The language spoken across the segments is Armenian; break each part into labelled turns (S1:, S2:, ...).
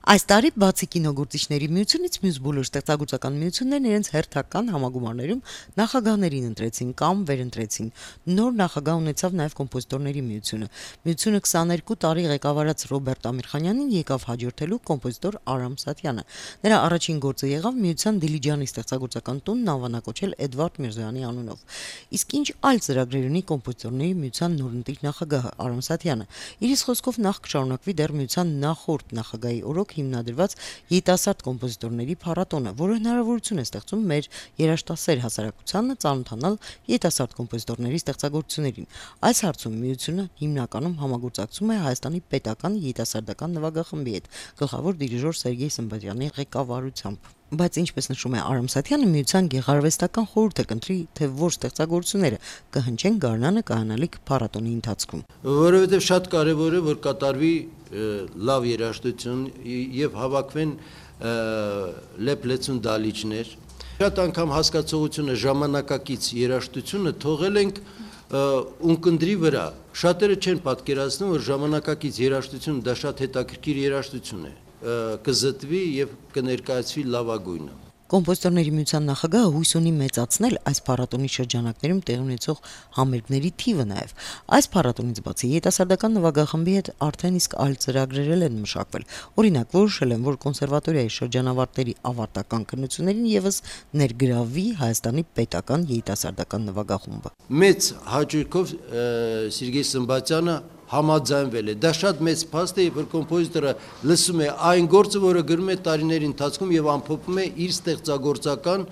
S1: Այս տարի բացի կինոգործիչների միությունից մյուս բոլոր ստեղծագործական միություններն իրենց հերթական համագումարներում նախագահներին ընտրեցին կամ վերընտրեցին։ Նոր նախագահ ունեցավ նաև կոմպոզիտորների միությունը։ Միությունը 22 տարի ղեկավարած Ռոբերտ Ամիրխանյանին եկավ հաջորդելու կոմպոզիտոր Արամ Սաթյանը։ Նրա առաջին գործը եղավ միության Դիլիջանի ստեղծագործական տունն անվանակոչել Էդվարդ Միրզոյանի անունով։ Իսկ ինչ այլ ծրագրեր ունի կոմպոզիտորների միության նորընտիր նախագահը Արամ Սաթյանը։ Իրիս խոսքով նախ կշարունակվի դեռ միության նախորդ նախագահի օրոք հիմնադրված երիտասարդ կոմպոզիտորների փառատոնը, որը հնարավորություն է ստեղծում մեր երաժշտասեր հասարակությանը ծանոթանալ երիտասարդ կոմպոզիտորների ստեղծագործություններին։ Այս հարցում միությունը հիմնականում համագործակցում է Հայաստանի պետական երիտասարդական նվագախմբի հետ, գլխավոր դիրիժոր Սերգեյ Սմբատյանի ղեկավարությամբ։ Բայց ինչպես նշում է Արամ Սաթյանը, միության գեղարվեստական խորհուրդը կընտրի, թե որ ստեղծագործությունները կհնչեն գարնանը կայանալիք փառատոնի ընթացքում։
S2: Որովհետև շատ կարևոր է, որ կատարվի լավ երաժշտություն եւ հավաքվեն լեփլեցուն դալիճներ։ Շատ անգամ հասկացողությունը ժամանակակից երաժշտությունը թողել ենք ունկնդրի վրա։ Շատերը չեն պատկերացնում, որ ժամանակակից երաժշտությունը դա շատ հետաքրքիր երաժշտություն է, կզտվի եւ կներկայացվի լավագույնը։
S1: Կոմպոզիտորների միության նախագահը հույս ունի մեծացնել այս փառատոնի շրջանակներում տեղի ունեցող համերգների թիվը նաև։ Այս փառատոնից բացի երիտասարդական նվագախմբի հետ արդեն իսկ այլ ծրագրեր են մշակվել։ Օրինակ, որոշել են, որ կոնսերվատորիայի շրջանավարտների ավարտական քննություններին եւս ներգրավվի Հայաստանի պետական երիտասարդական նվագախումբը։
S2: Մեծ հաճույքով Սերգեյ Սմբատյանը համաձայնվել է։ Դա շատ մեծ փաստ է, որ կոմպոզիտորը լսում է այն գործը, որը գրում է տարիների ընթացքում եւ ամփոփում է իր ստեղծագործական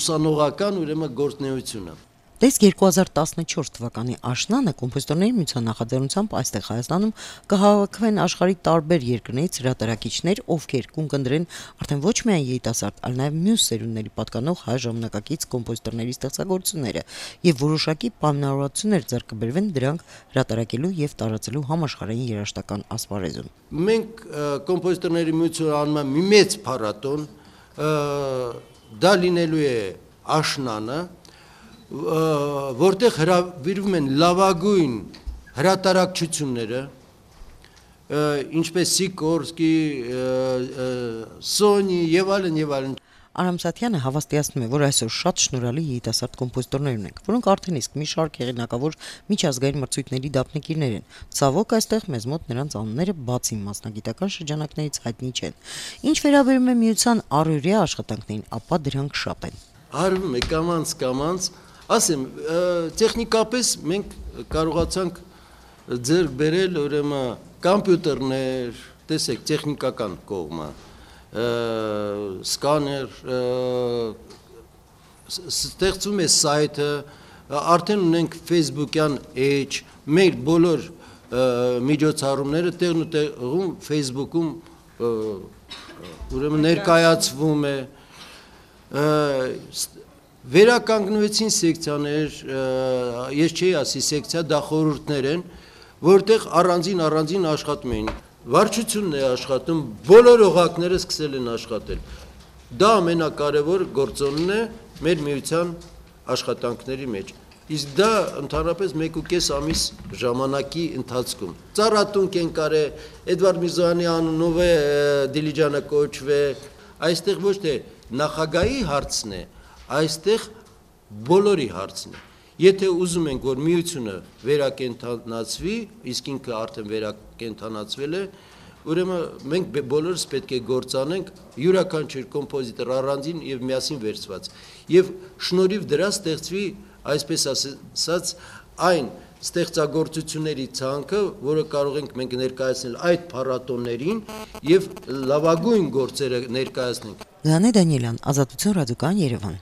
S2: ուսանողական ուրեմն գործունեությունը։
S1: Դες 2014 թվականի աշնանը կոմպոզիտորների միության նախաձեռնությամբ այստեղ Հայաստանում կհավաքվեն աշխարհի տարբեր երկրներից հրատարակիչներ, ովքեր կընկնդրեն արդեն ոչ միայն երիտասարդ, այլ նաև մյուս սերունդների պատկանող հայ ժամանակակից կոմպոզիտորների ստեղծագործությունները, եւ որոշակի պայմանավորվածություններ ձեռք կբերվեն դրանք հրատարակելու եւ տարածելու համաշխարհային երաժշտական ասպարեզում։
S2: Մենք կոմպոզիտորների միությունը անում ենք մի մեծ փառատոն, դա լինելու է աշնանը, որտեղ հրավիրվում են լավագույն հրատարակչությունները, ինչպես Սիկորսկի, Սոնի եւ այլն։
S1: Արամ Սաթյանը հավաստիացնում է, որ այսօր շատ շնորհալի երիտասարդ կոմպոզիտորներ ունենք, որոնք արդեն իսկ մի շարք հեղինակավոր միջազգային մրցույթների դափնեկիրներ են։ Ցավոք այստեղ մեզ մոտ նրանց անունները բացի մասնագիտական շրջանակներից հայտնի չեն։ Ինչ վերաբերում է միության առօրյա աշխատանքներին, ապա դրանք շատ են։
S2: Արվում է կամանց, ասեմ, տեխնիկապես մենք կարողացանք ձեռք բերել ուրեմն կոմպյուտերներ, տեսեք, տեխնիկական կողմը, սկաներ, ստեղծում է սայթը, արդեն ունենք Facebook-յան էջ, մեր բոլոր միջոցառումները տեղն ու տեղում Facebook-ում ուրեմն ներկայացվում է, վերականգնվեցին սեկցիաներ, ես չէի ասի սեկցիա, դա խորհուրդներ են, որտեղ առանձին աշխատում էին։ Վարչությունն է աշխատում, բոլոր օղակները սկսել են աշխատել։ Դա ամենակարևոր գործոնն է մեր միության աշխատանքների մեջ։ Իսկ դա ընդհանրապես 1.5 ամիս ժամանակի ընթացքում։ Ծառատունք են կարել, Էդվարդ Միրզոյանի անունով է Դիլիջանը կոչվե, այստեղ ոչ թե նախագահի հարցն է, այստեղ բոլորի հարցն է։ Եթե ուզում ենք, որ միությունը վերակենդանացվի, իսկ ինքը արդեն վերակենդանացվել է, ուրեմն մենք բոլորս պետք է գործանենք յուրաքանչյուր կոմպոզիտոր առանձին եւ միասին վերցված։ Եվ շնորհիվ դրա ստեղծվի, այսպես ասած, այն ստեղծագործությունների ցանկը, որը կարող ենք մենք ներկայացնել այդ փառատոներին եւ լավագույն գործերը ներկայացնենք։
S1: Գանե Դանիելյան, Ազատություն ռադիոկայան Երևան։